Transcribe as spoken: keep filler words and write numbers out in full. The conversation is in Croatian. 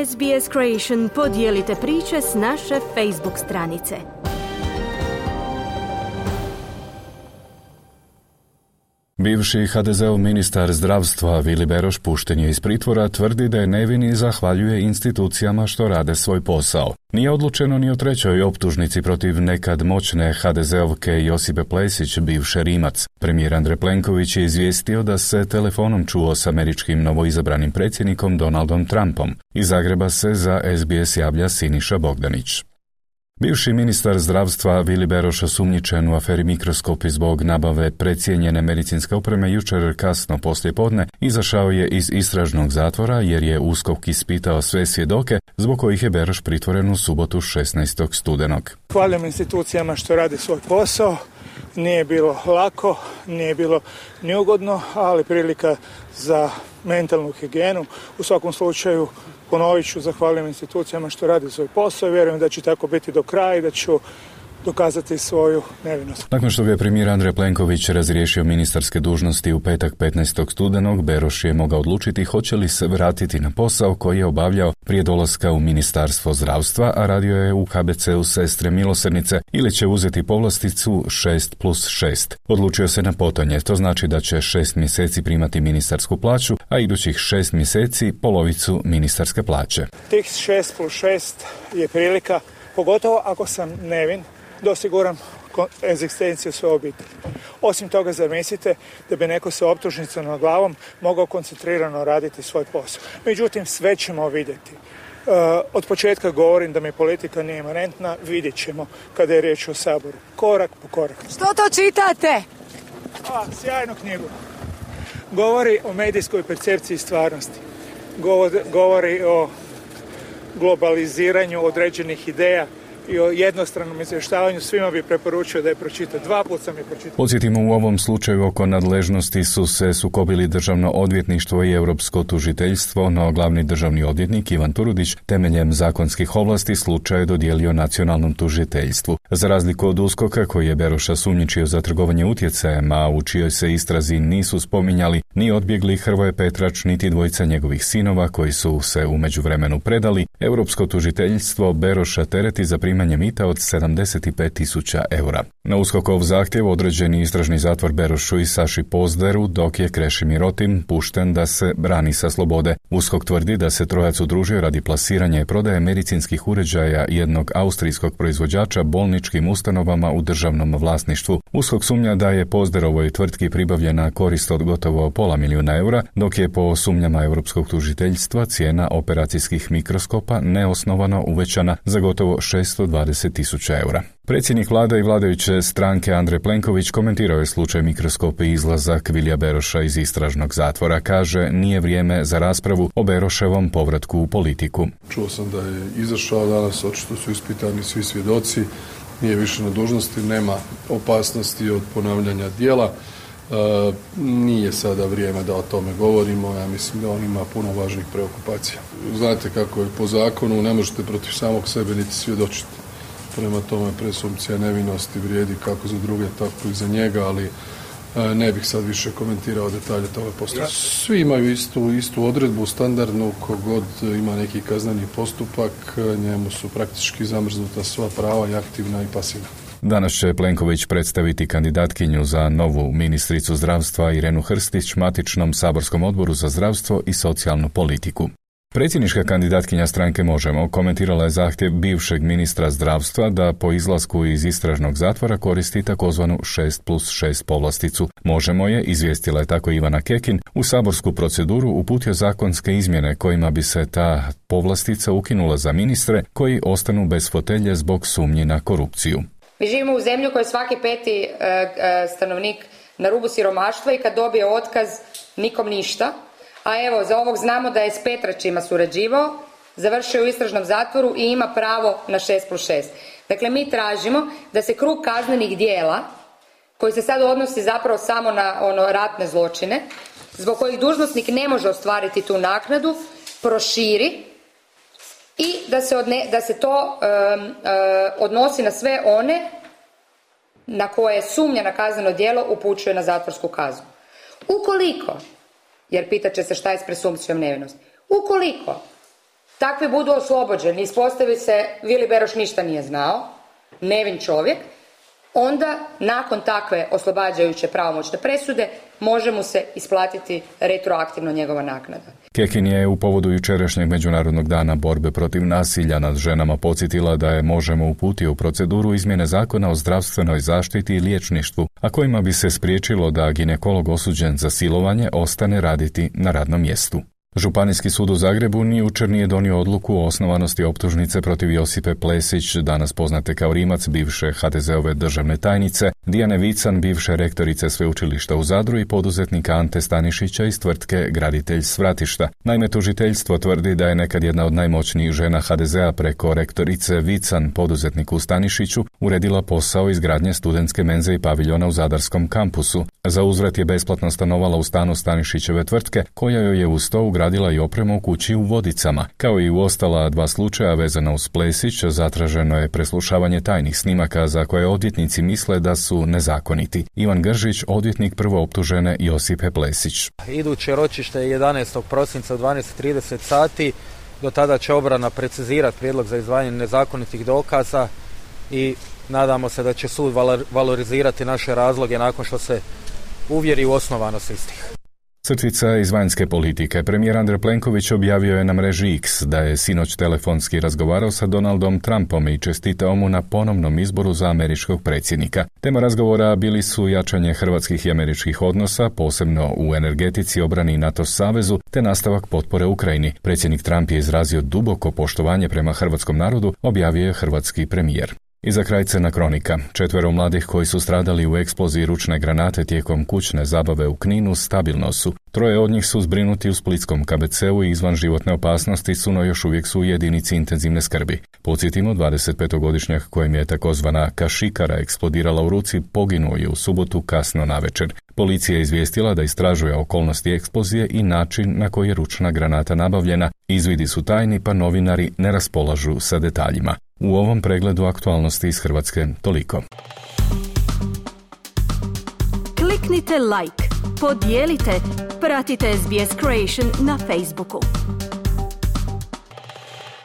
S B S Creation podijelite priče s naše Facebook stranice. Bivši ha de zeov ministar zdravstva Vili Beroš pušten je iz pritvora, tvrdi da je nevin i zahvaljuje institucijama što rade svoj posao. Nije odlučeno ni o trećoj optužnici protiv nekad moćne ha de zeovke Josipe Plesić, bivše Rimac. Premijer Andrej Plenković je izvijestio da se telefonom čuo s američkim novoizabranim predsjednikom Donaldom Trumpom. Iz Zagreba se za S B S javlja Siniša Bogdanić. Bivši ministar zdravstva Vili Beroš, osumnjičen u aferi Mikroskopi zbog nabave precijenjene medicinske opreme, jučer kasno poslijepodne izašao je iz istražnog zatvora jer je U S K O K ispitao sve svjedoke zbog kojih je Beroš pritvoren u subotu šesnaestog studenog. Hvalim institucijama što rade svoj posao. Nije bilo lako, nije bilo neugodno, ali prilika za mentalnu higijenu. U svakom slučaju, ponovit ću, zahvaljujem institucijama što rade svoj posao i vjerujem da će tako biti do kraja i da ću dokazati svoju nevinost. Nakon što je premijer Andrej Plenković razriješio ministarske dužnosti u petak petnaestog studenog, Beroš je mogao odlučiti hoće li se vratiti na posao koji je obavljao prije dolaska u Ministarstvo zdravstva, a radio je u K B C-u Sestre milosrdnice, ili će uzeti povlasticu šest plus šest. Odlučio se na potonje, to znači da će šest mjeseci primati ministarsku plaću, a idućih šest mjeseci polovicu ministarske plaće. Tih šest plus šest je prilika, pogotovo ako sam nevin, da osiguram egzistenciju svoje obitelji. Osim toga, zamislite da bi neko sa optužnicom nad glavom mogao koncentrirano raditi svoj posao. Međutim, sve ćemo vidjeti. Uh, od početka govorim da mi politika nije imanentna, vidjet ćemo kada je riječ o Saboru. Korak po korak. Što to čitate? A, sjajnu knjigu. Govori o medijskoj percepciji stvarnosti. Govori, govori o globaliziranju određenih ideja i o jednostranom izvještavanju. Svima bi preporučio da je pročita. Dva put sam je pročitao. Podsjetimo, u ovom slučaju oko nadležnosti su se sukobili Državno odvjetništvo i Europsko tužiteljstvo, no glavni državni odvjetnik Ivan Turudić temeljem zakonskih ovlasti slučaj je dodijelio nacionalnom tužiteljstvu. Za razliku od U S K O K-a koji je Beroša sumnjičio za trgovanje utjecajem, a u čijoj se istrazi nisu spominjali ni odbjegli Hrvoje Petrač niti dvojica njegovih sinova koji su se u međuvremenu predali, Europsko tužiteljstvo Beroša tereti za primanje mita od sedamdeset pet tisuća eura. Na U S K O K-ov zahtjev određeni istražni zatvor Berošu i Saši Pozderu, dok je Krešimir Otim pušten da se brani sa slobode. U S K O K tvrdi da se trojac udružio radi plasiranja i prodaje medicinskih uređaja jednog austrijskog proizvođača bolničkim ustanovama u državnom vlasništvu. U S K O K sumnja da je Pozderovoj tvrtki pribavljena korist od gotovo pola milijuna eura, dok je po sumnjama Europskog tužiteljstva cijena operacijskih mikroskopa neosnovano uvećana za gotovo šesto dvadeset tisuća eura. Predsjednik vlade i vladajuće stranke Andrej Plenković komentirao je slučaj Mikroskopi i izlazak Vilija Beroša iz istražnog zatvora. Kaže, nije vrijeme za raspravu o Beroševom povratku u politiku. Čuo sam da je izašao danas, očito su ispitani svi svjedoci, nije više na dužnosti, nema opasnosti od ponavljanja djela. E, nije sada vrijeme da o tome govorimo, ja mislim da on ima puno važnih preokupacija. Znate kako je po zakonu, ne možete protiv samog sebe niti svjedočiti. Prema tome presumpcija nevinosti vrijedi kako za druge, tako i za njega, ali e, ne bih sad više komentirao detalje toga postupka. Svi imaju istu, istu odredbu, standardnu, kogod ima neki kazneni postupak, njemu su praktički zamrznuta sva prava, i aktivna i pasivna. Danas će Plenković predstaviti kandidatkinju za novu ministricu zdravstva Irenu Hrstić matičnom saborskom odboru za zdravstvo i socijalnu politiku. Predsjednička kandidatkinja stranke Možemo komentirala je zahtjev bivšeg ministra zdravstva da po izlasku iz istražnog zatvora koristi takozvanu šest plus šest povlasticu. Možemo je, izvijestila je tako Ivana Kekin, u saborsku proceduru uputio zakonske izmjene kojima bi se ta povlastica ukinula za ministre koji ostanu bez fotelje zbog sumnji na korupciju. Mi živimo u zemlji u kojoj svaki peti e, e, stanovnik na rubu siromaštva i kad dobije otkaz nikom ništa. A evo, za ovog znamo da je s Petračima surađivao, završio u istražnom zatvoru i ima pravo na šest plus šest. Dakle, mi tražimo da se krug kaznenih djela, koji se sad odnosi zapravo samo na ono ratne zločine, zbog kojih dužnosnik ne može ostvariti tu naknadu, proširi i da se, odne, da se to um, uh, odnosi na sve one na koje sumnja na kazneno djelo upućuje na zatvorsku kaznu. Ukoliko, jer pitat će se šta je s presumpcijom nevinosti, ukoliko takvi budu oslobođeni, ispostavi se Vili Beroš ništa nije znao, nevin čovjek, onda nakon takve oslobađajuće pravomoćne presude može mu se isplatiti retroaktivno njegova naknada. Kekin je u povodu jučerašnjeg Međunarodnog dana borbe protiv nasilja nad ženama podsjetila da je Možemo uputio u proceduru izmjene zakona o zdravstvenoj zaštiti i liječništvu, a kojima bi se spriječilo da ginekolog osuđen za silovanje ostane raditi na radnom mjestu. Županijski sud u Zagrebu ni jučer nije donio odluku o osnovanosti optužnice protiv Josipe Plesić, danas poznate kao Rimac, bivše ha de zove državne tajnice, Dijane Vican, bivše rektorice sveučilišta u Zadru i poduzetnika Ante Stanišića iz tvrtke Graditelj Svratišta. Naime, tužiteljstvo tvrdi da je nekad jedna od najmoćnijih žena ha de zea preko rektorice Vican, poduzetniku Stanišiću, uredila posao izgradnje studentske menze i paviljona u Zadarskom kampusu. Za uzvrat je besplatno stanovala u stanu Stanišićeve tvrtke, koja joj je uz to ugradila i opremu u kući u Vodicama. Kao i u ostala dva slučaja vezana uz Plesić, zatraženo je preslušavanje tajnih snimaka za koje odvjetnici misle da su nezakoniti. Ivan Gržić, odvjetnik prvooptužene Josipe Plesić. Iduće ročište je jedanaestog prosinca u dvanaest i trideset sati. Do tada će obrana precizirati prijedlog za izdvajanje nezakonitih dokaza i nadamo se da će sud valorizirati naše razloge nakon što se uvjeri u osnovanost istih. Crtica iz vanjske politike. Premijer Andrej Plenković objavio je na mreži X da je sinoć telefonski razgovarao sa Donaldom Trumpom i čestitao mu na ponovnom izboru za američkog predsjednika. Tema razgovora bili su jačanje hrvatskih i američkih odnosa, posebno u energetici, obrani i NATO savezu, te nastavak potpore Ukrajini. Predsjednik Trump je izrazio duboko poštovanje prema hrvatskom narodu, objavio je hrvatski premijer. I za kraj crna kronika. Četvero mladih koji su stradali u eksploziji ručne granate tijekom kućne zabave u Kninu stabilno su. Troje od njih su zbrinuti u splitskom ka be ceu i izvan životne opasnosti su, no još uvijek su u jedinici intenzivne skrbi. Podsjetimo, dvadesetpetogodišnjak kojem je takozvana kašikara eksplodirala u ruci poginuo je u subotu kasno navečer. Policija je izvijestila da istražuje okolnosti eksplozije i način na koji je ručna granata nabavljena. Izvidi su tajni, pa novinari ne raspolažu sa detaljima. U ovom pregledu aktualnosti iz Hrvatske toliko. Kliknite like, podijelite, pratite es be es Creation na Facebooku.